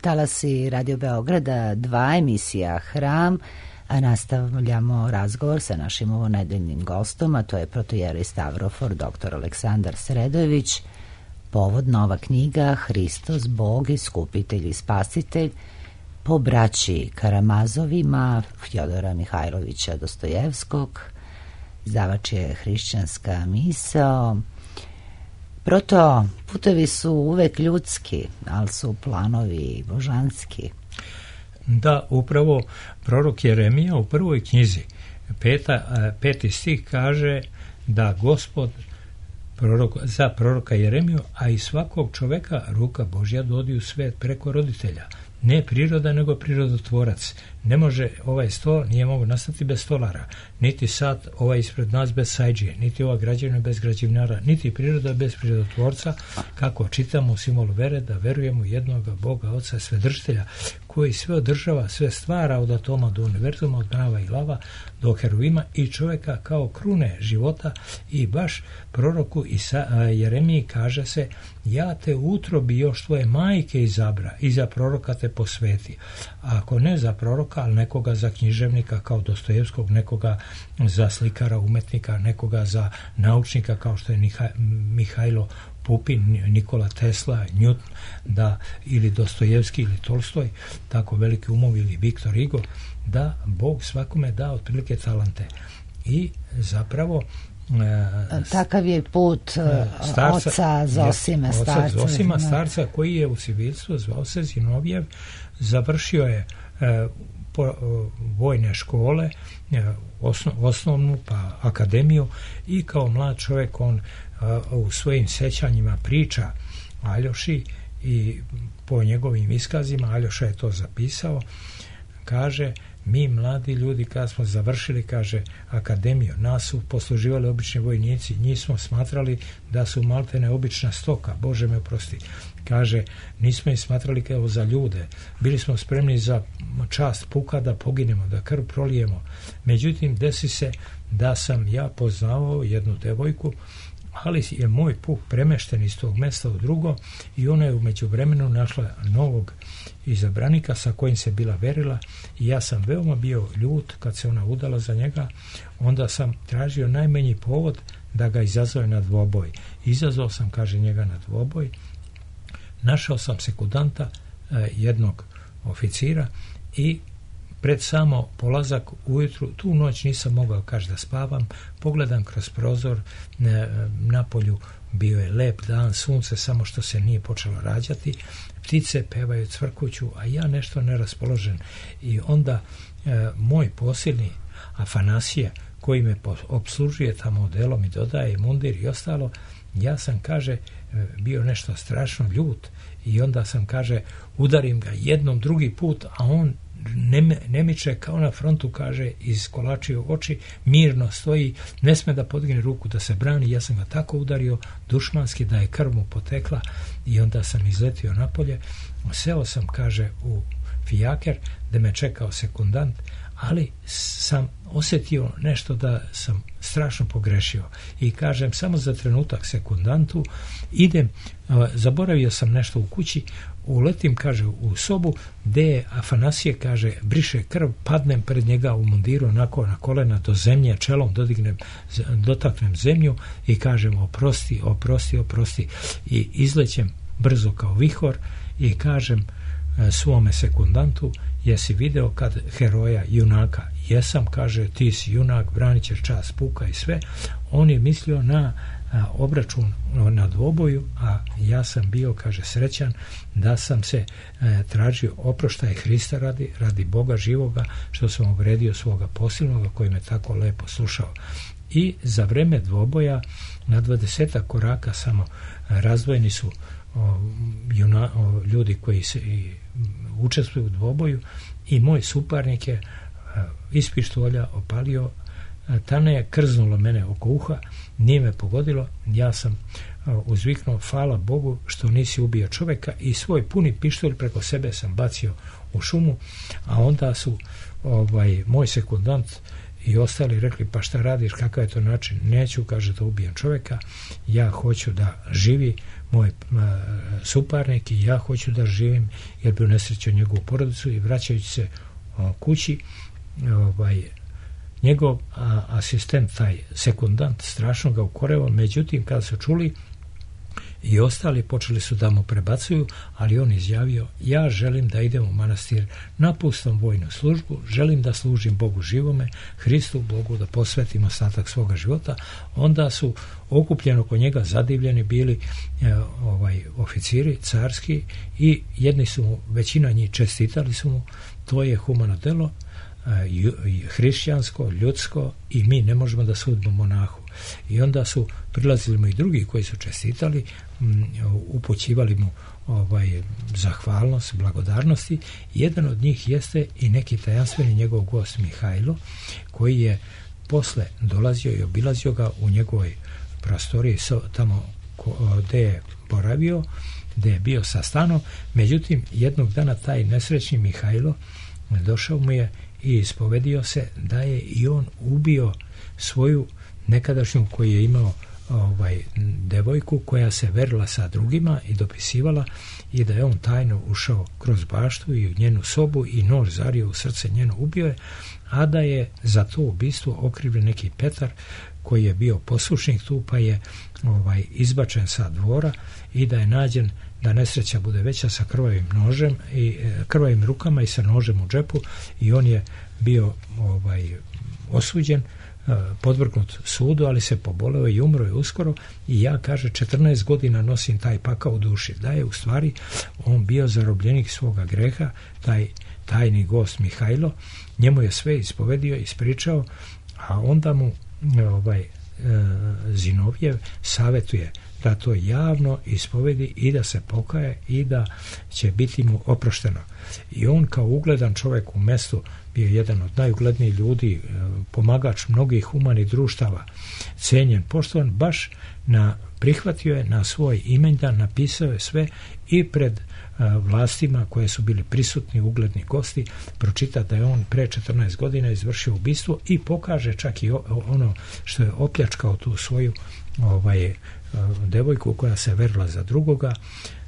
Talasi Radio Beograda, dva, emisija Hram, a nastavljamo razgovor sa našim ovonedeljnim gostom, a to je protojerej Stavrofor, doktor Aleksandar Sredojević. Povod nova knjiga Hristos, Bog, iskupitelj i spasitelj po braći Karamazovima, Fjodora Mihajlovića Dostojevskog. Izdavač je Hrišćanska misao. Proto putevi su uvek ljudski, ali su planovi božanski. Da, upravo prorok Jeremija u prvoj knjizi, peta, peti stih kaže da Gospod prorok, za proroka Jeremiju, a i svakog čoveka ruka Božja dodi u svet preko roditelja. Ne priroda, nego prirodotvorac. Ne može ovaj sto, nije mogu nastati bez stolara, niti sad ovaj ispred nas bez sajđije, niti ova građevina bez građevinara, niti priroda bez prirodotvorca, kako čitamo u simbolu vere, da verujemo jednoga Boga, Oca, Svedržitelja, koji sve održava, sve stvara od atoma do univerzuma, od mrava i lava do heruvima i čovjeka kao krune života. I baš proroku Jeremiji kaže se: ja te u utrobi još tvoje majke izabra i za proroka te posveti. A ako ne za proroka, ali nekoga za književnika kao Dostojevskog, nekoga za slikara, umetnika, nekoga za naučnika kao što je Mihajlo Pupin, Nikola Tesla, Newton, da, ili Dostojevski ili Tolstoj, tako veliki umovi, ili Viktor Hugo, da Bog svakome da otprilike talante. I zapravo E, takav je put starca, oca Zosime, starca, oca Zosima, starca, koji je u civilstvu, zvao se Zinovjev, završio je e, po, e, vojne škole, e, osno, osnovnu pa akademiju, i kao mlad čovjek on e, u svojim sećanjima priča Aljoši, i po njegovim iskazima, Aljoša je to zapisao, kaže: mi mladi ljudi kad smo završili, kaže, akademiju, nas su posluživali obični vojnici, njih smo smatrali da su maltene obična stoka, Bože me oprosti. Kaže, nismo ih smatrali kao za ljude, bili smo spremni za čast puka da poginemo, da krv prolijemo. Međutim, desi se da sam ja poznavao jednu devojku, ali je moj puk premešten iz tog mjesta u drugo, i ona je u međuvremenu našla novog izabranika sa kojim se bila verila, i ja sam veoma bio ljut kad se ona udala za njega. Onda sam tražio najmanji povod da ga izazove na dvoboj. Izazvao sam, kaže, njega na dvoboj. Našao sam sekundanta, eh, jednog oficira, i pred samo polazak ujutru, tu noć nisam mogao, kaže, da spavam, pogledam kroz prozor, ne, na polju bio je lep dan, sunce samo što se nije počelo rađati, ptice pevaju, cvrkuću, a ja nešto neraspoložen. I onda e, moj posilni Afanasije, koji me obslužuje tamo odelom i dodaje mundir i ostalo, ja sam, kaže, bio nešto strašno ljut, i onda sam, kaže, udarim ga jednom drugi put, a on ne, ne miče, kao na frontu, kaže, iskolačio oči, mirno stoji, ne sme da podigne ruku da se brani. Ja sam ga tako udario dušmanski da je krv mu potekla i onda sam izletio napolje. Seo sam, kaže, u fijaker da me čekao sekundant, ali sam osjetio nešto da sam strašno pogrešio i kažem samo za trenutak sekundantu, idem, zaboravio sam nešto u kući, uletim, kaže, u sobu gde je Afanasije, kaže, briše krv, padnem pred njega u mundiru onako na kolena do zemlje, čelom dodignem, dotaknem zemlju i kažem oprosti, oprosti, oprosti i izlećem brzo kao vihor i kažem svome sekundantu, jesi video kad heroja, junaka? Jesam, kaže, ti si junak, branit ćeš čast puka i sve. On je mislio na a, obračun na dvoboju, a ja sam bio, kaže, srećan da sam se a, tražio oproštaj Hrista radi, radi Boga živoga, što sam uvredio svoga posilnoga koji me tako lepo slušao. I za vreme dvoboja na dvadesetak koraka samo razdvojeni su o, juna, o, ljudi koji se i, učestvuju u dvoboju i moj suparnik je a, iz pištolja opalio, a, tane je krznulo mene oko uha, nije me pogodilo, ja sam a, uzviknuo, hvala Bogu što nisi ubio čovjeka, i svoj puni pištolj preko sebe sam bacio u šumu, a onda su ovaj moj sekundant i ostali rekli, pa šta radiš, kakav je to način? Neću, kaže, da ubijem čovjeka, ja hoću da živi moj a, suparnik i ja hoću da živim, jer bi unesrećio njegovu porodicu. I vraćajući se a, kući, ovaj, njegov a, asistent, taj sekundant, strašno ga ukoreo, međutim kada su čuli i ostali, počeli su da mu prebacuju, ali on izjavio, ja želim da idem u manastir, napustam vojnu službu, želim da služim Bogu živome, Hristu Bogu, da posvetim ostatak svoga života. Onda su okupljeni oko njega, zadivljeni bili e, ovaj oficiri carski i jedni su mu, većina njih čestitali su mu, to je humano delo, e, hrišćansko, ljudsko, i mi ne možemo da sudimo monahu. I onda su prilazili mu i drugi koji su čestitali, m, upućivali mu ovaj zahvalnost, blagodarnosti. Jedan od njih jeste i neki tajanstveni njegov gost Mihajlo, koji je posle dolazio i obilazio ga u njegovoj prostoriji, so, tamo gde je boravio, gde je bio sa stanom. Međutim, jednog dana taj nesrećni Mihajlo došao mu je i ispovedio se da je i on ubio svoju nekadašnju, koji je imao ovaj devojku koja se verila sa drugima i dopisivala, i da je on tajno ušao kroz baštu i u njenu sobu i nož zario u srce njeno, ubio je, a da je za to ubistvo okrivljen neki Petar koji je bio poslušnik tu, pa je ovaj izbačen sa dvora i da je nađen, da nesreća bude veća, sa krvavim nožem i krvavim rukama i sa nožem u džepu, i on je bio ovaj osuđen, podvrgnut sudu, ali se poboleo i umro je uskoro. I ja, kaže, četrnaest godina nosim taj pakao u duši, da je u stvari on bio zarobljenik svoga greha, taj tajni gost Mihajlo. Njemu je sve ispovedio, ispričao, a onda mu ovaj e, Zinovjev savjetuje da to javno ispovedi i da se pokaje i da će biti mu oprošteno. I on kao ugledan čovjek u mestu, bio jedan od najuglednijih ljudi, pomagač mnogih humanih društava, cenjen, poštovan, baš na, prihvatio je na svoj imendan, napisao je sve i pred a, vlastima koje su bili prisutni, ugledni gosti, pročita da je on pre četrnaest godina izvršio ubistvo i pokaže čak i o, ono što je opljačkao tu svoju ovaj, a, devojku koja se verila za drugoga,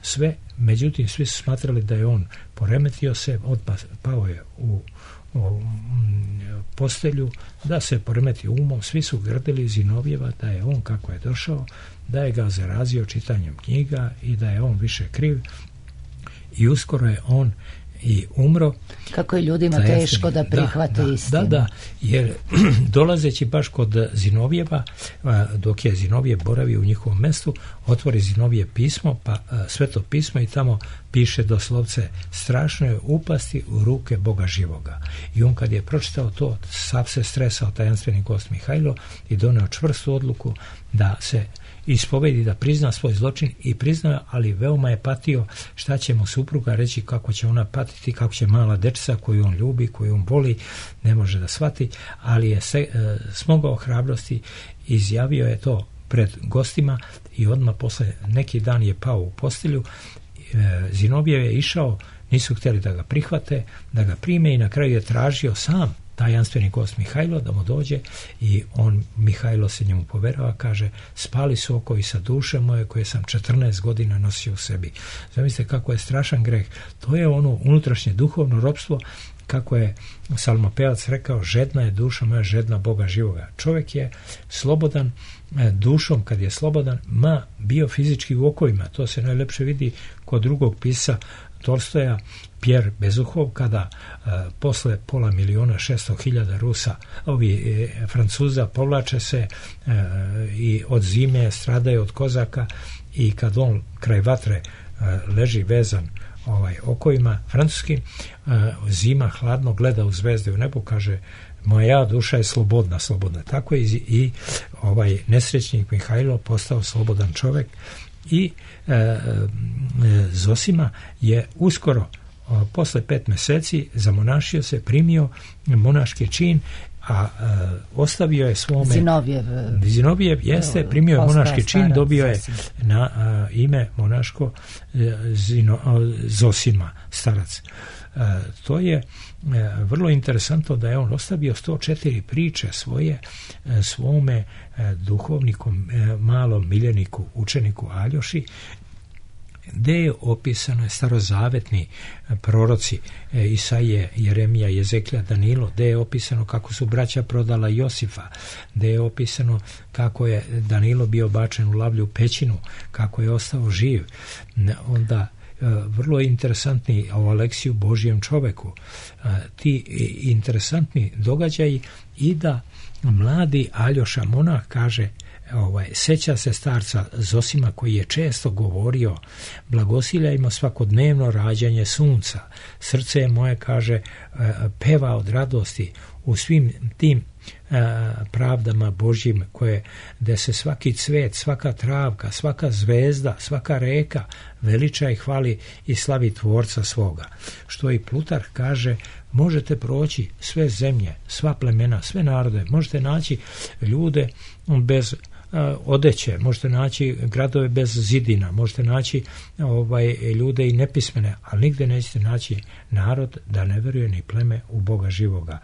sve. Međutim, svi su smatrali da je on poremetio se, odpa, pao je u o postelju, da se poremeti umom. Svi su grdili Zinovjeva da je on, kako je došao, da je ga zarazio čitanjem knjiga i da je on više kriv, i uskoro je on i umro. Kako je ljudima da teško da prihvate da, istinu. Da, da, jer dolazeći baš kod Zinovjeva, dok je Zinovjev boravio u njihovom mestu, otvori Zinovje pismo, pa Sveto pismo, i tamo piše doslovce, strašno je upasti u ruke Boga živoga. I on kad je pročitao to, sav se stresao tajanstveni gost Mihajlo i doneo čvrstu odluku da se ispovedi, da prizna svoj zločin i priznao, ali veoma je patio šta će mu supruga reći, kako će ona patiti, kako će mala dečca koju on ljubi, koju on voli, ne može da shvati, ali je se, e, smogao hrabrosti, izjavio je to pred gostima i odmah posle neki dan je pao u postelju. e, Zinovjev je išao, nisu htjeli da ga prihvate, da ga prime i na kraju je tražio sam tajanstveni gost Mihajlo da mu dođe i on, Mihajlo se njemu poverava, kaže, spali su okovi sa duše moje koje sam četrnaest godina nosio u sebi. Zamislite kako je strašan greh. To je ono unutrašnje duhovno ropstvo, kako je psalmopevac rekao, žedna je duša moja, žedna Boga živoga. Čovjek je slobodan dušom kad je slobodan, ma bio fizički u okovima. To se najlepše vidi kod drugog pisa Tolstoja, Pierre Bezukhov, kada e, posle pola miliona šesto hiljada Rusa, ovi e, Francuza povlače se e, i od zime stradaju od kozaka i kad on kraj vatre e, leži vezan ovaj okovima francuskim, e, zima hladno gleda u zvezde u nebu, kaže, moja duša je slobodna, slobodna. Tako je i, i ovaj nesrećnik Mihajlo postao slobodan čovjek i e, e, Zosima je uskoro o, posle pet mjeseci zamonašio se, primio monaški čin, a e, ostavio je svome Zinovjev, Zinovjev jeste, primio je monaški čin, dobio je na a, ime monaško e, Zino, a, Zosima, starac. E, to je e, vrlo interesantno da je on ostavio sto četiri priče svoje e, svome e, duhovnikom, e, malom miljeniku, učeniku Aljoši, gdje je opisano starozavetni proroci e, Isaije, Jeremija, Jezeklja, Danilo, gdje je opisano kako su braća prodala Josifa, gdje je opisano kako je Danilo bio bačen u lavlju pećinu, kako je ostao živ. Onda vrlo interesantni o Aleksiju Božjem čoveku, ti interesantni događaji i da mladi Aljoša monah kaže, ovaj, seća se starca Zosima koji je često govorio, blagosiljajmo svakodnevno rađanje sunca, srce je moje, kaže, peva od radosti u svim tim pravdama Božjim, koje, gde se svaki cvet, svaka travka, svaka zvezda, svaka reka veliča i hvali i slavi tvorca svoga. Što i Plutarh kaže, možete proći sve zemlje, sva plemena, sve narode, možete naći ljude bez odeće, možete naći gradove bez zidina, možete naći ovaj, ljude i nepismene, ali nigde nećete naći narod da ne veruje ni pleme u Boga živoga,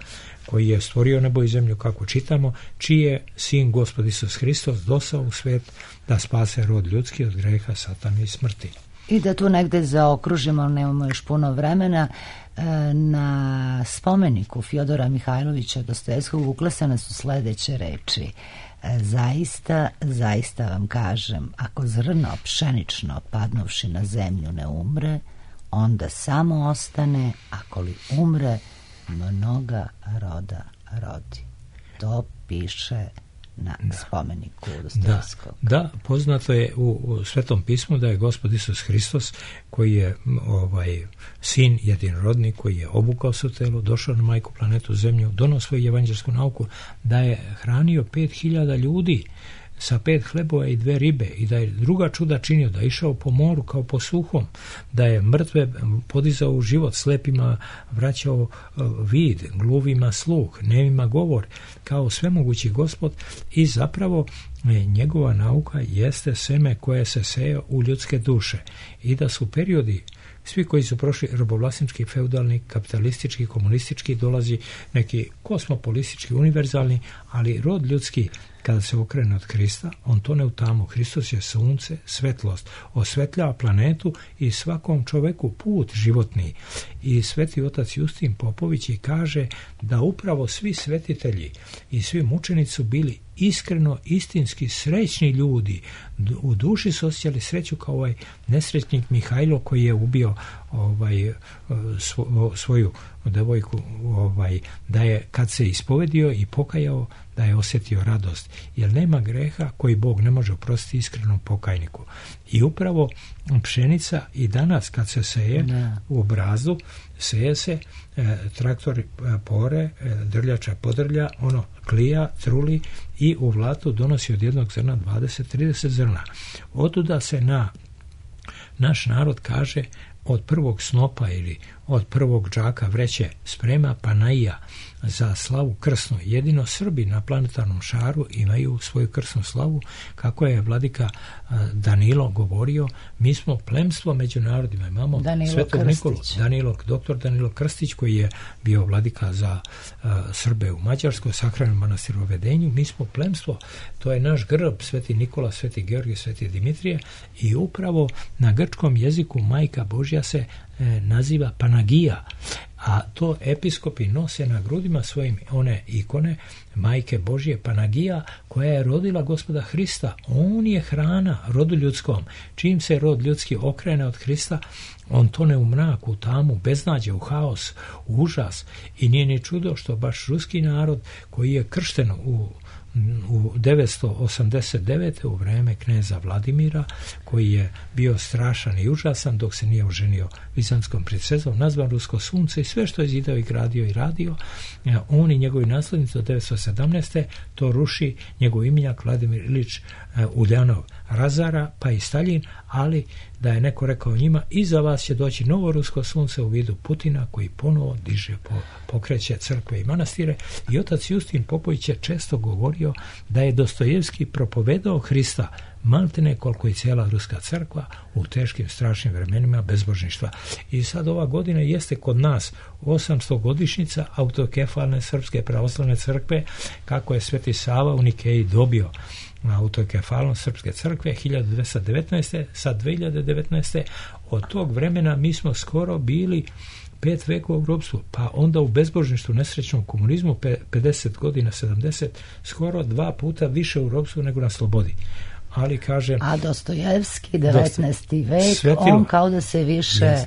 koji je stvorio nebo i zemlju, kako čitamo, čiji je sin Gospod Isus Hristos došao u svet da spase rod ljudski od greha, satana i smrti. I da tu negde zaokružimo, nemamo još puno vremena, na spomeniku Fjodora Mihajlovića Dostojevskog uklesane su sledeće reči. Zaista, zaista vam kažem, ako zrno pšenično padnuvši na zemlju ne umre, onda samo ostane, ako li umre, mnoga roda rodi. To piše na da. spomeniku Dostojevskog. Da, da, poznato je u, u Svetom pismu da je Gospod Isus Hristos, koji je ovaj sin jedinorodni, koji je obukao se u telo, došao na majku planetu Zemlju, donao svoju evanđelsku nauku, da je hranio pet hiljada ljudi sa pet hlebova i dve ribe i da je druga čuda činio, da je išao po moru kao po suhom, da je mrtve podizao u život, slepima vraćao vid, gluvima sluh, nemima govor, kao svemogući Gospod, i zapravo njegova nauka jeste seme koje se seje u ljudske duše i da su periodi, svi koji su prošli robovlasnički, feudalni, kapitalistički, komunistički, dolazi neki kosmopolistički, univerzalni, ali rod ljudski kada se okrene od Krista, on tone u tamu. Hristos je sunce, svetlost, osvetljava planetu i svakom čoveku put životni. I sveti otac Justin Popović i kaže da upravo svi svetitelji i svi mučenici su bili iskreno, istinski srećni ljudi. U duši su osjećali sreću kao ovaj nesrećnik Mihajlo koji je ubio ovaj, svo, svoju devojku, ovaj, da je kad se ispovedio i pokajao, da je osjetio radost, jer nema greha koji Bog ne može oprostiti iskrenom pokajniku. I upravo pšenica i danas kad se seje ne. u brazdu, seje se, e, traktori pore, e, drljača podrlja, ono klija, truli i u vlatu donosi od jednog zrna dvadeset do trideset zrna. Otuda se na naš narod kaže od prvog snopa ili od prvog džaka vreće sprema pa naija za slavu krsnu. Jedino Srbi na planetarnom šaru imaju svoju krsnu slavu, kako je vladika Danilo govorio, mi smo plemstvo među narodima. Imamo Danilo Svetog Krstić. Nikolu, Danilo, doktor Danilo Krstić, koji je bio vladika za uh, Srbe u Mađarskoj, sakranom manastiru u Vedenju. Mi smo plemstvo, to je naš grb, Sveti Nikola, Sveti Georgije, Sveti Dimitrije, i upravo na grčkom jeziku Majka Božja se e, naziva Panagija, a to episkopi nose na grudima svojim one ikone Majke Božje Panagija, koja je rodila Gospoda Hrista. On je hrana rodu ljudskom. Čim se rod ljudski okrene od Hrista, on tone u mraku, u tamu, beznađe, u haos, u užas. I nije ni čudo što baš ruski narod koji je kršten u u devetsto osamdeset devete u vreme kneza Vladimira, koji je bio strašan i užasan dok se nije oženio bizanskom princezom, nazvan Rusko sunce, i sve što je zidao i gradio i radio, on i njegovi naslednici do devetsto sedamnaeste to ruši njegov imenjak Vladimir Ilić Uljanov razara, pa i Staljin, ali da je neko rekao njima, iza vas će doći novo rusko sunce u vidu Putina, koji ponovo diže, po, pokreće crkve i manastire. I otac Justin Popović je često govorio da je Dostojevski propovedao Hrista maltene koliko i cijela ruska crkva u teškim, strašnim vremenima bezbožništva. I sad ova godina jeste kod nas osamsto godišnjica autokefalne srpske pravoslavne crkve, kako je Sveti Sava u Nikeji dobio na autokefalnom srpske crkve hiljadu dvesta devetnaeste. Sad dve hiljade devetnaeste. Od tog vremena mi smo skoro bili pet vekova u ropstvu, pa onda u bezbožništvu, nesrećnom komunizmu, pedeset godina, sedamdeset, skoro dva puta više u ropstvu nego na slobodi. Ali kažem... A Dostojevski, devetnaesti vek, Svetilo. On kao da se više Jest.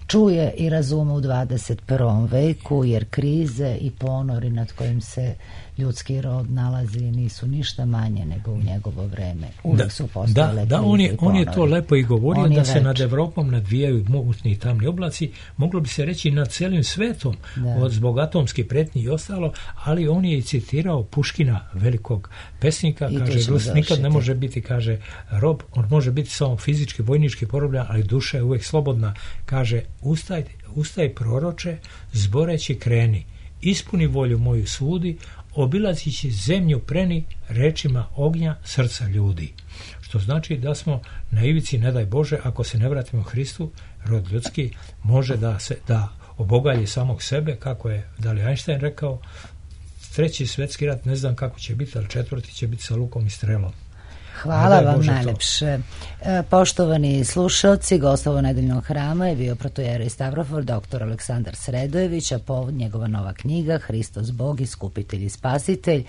čuje i razume u dvadeset prvom veku, jer krize i ponori nad kojim se ljudski rod nalazi nisu ništa manje nego u njegovo vreme. Uvijek da, su postojale da, da, krize on je, i on je ponori. to lepo i govorio, On da je se več. nad Evropom nadvijaju mutni i tamni oblaci, moglo bi se reći nad celim svetom, Da. od zbog atomskih pretnji i ostalo, ali on je i citirao Puškina, velikog pesnika, I tu kaže, ćemo Rus nikad završiti. ne može biti, kaže, rob, on može biti samo fizički, vojnički porobljen, ali duša je uvijek slobodna. Kaže, ustaj, ustaj proroče, zboreći kreni, ispuni volju moju sudi, obilazići zemlju preni rečima ognja srca ljudi. Što znači da smo na ivici, ne daj Bože, ako se ne vratimo Hristu, rod ljudski može da se da obogalji samog sebe, kako je da li Einstein rekao, treći svjetski rat ne znam kako će biti, ali četvrti će biti sa lukom i strelom. Hvala vam Bože najlepše. E, poštovani slušalci, gostovo nedeljnog hrama je bio protojerej Stavrofor doktor Aleksandar Sredojević, a povod njegova nova knjiga Hristos Bog, iskupitelj i spasitelj,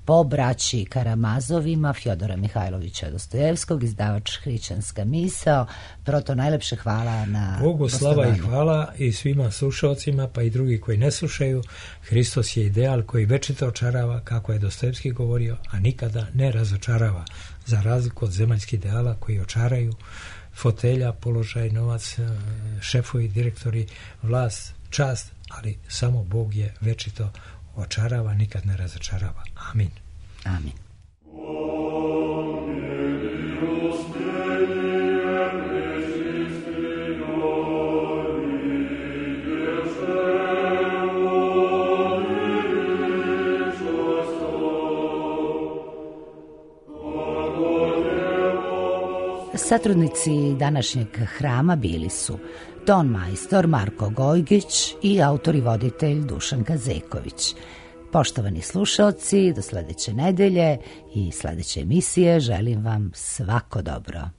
po braći Karamazovima Fjodora Mihajlovića Dostojevskog, izdavač Hrišćanska misao. Proto najlepše hvala na Bogu slava i gostovanju. hvala i svima slušalcima, pa i drugi koji ne slušaju. Hristos je ideal koji večito očarava, kako je Dostojevski govorio, a nikada ne razočarava, za razliku od zemaljskih ideala koji očaraju fotelja, položaj, novac, šefovi, direktori, vlast, čast, ali samo Bog je večito očarava, nikad ne razočarava. Amin. Amin. Satrudnici današnjeg hrama bili su ton majstor Marko Gojgić i autor i voditelj Dušan Kazeković. Poštovani slušalci, do sledeće nedelje i sledeće emisije želim vam svako dobro.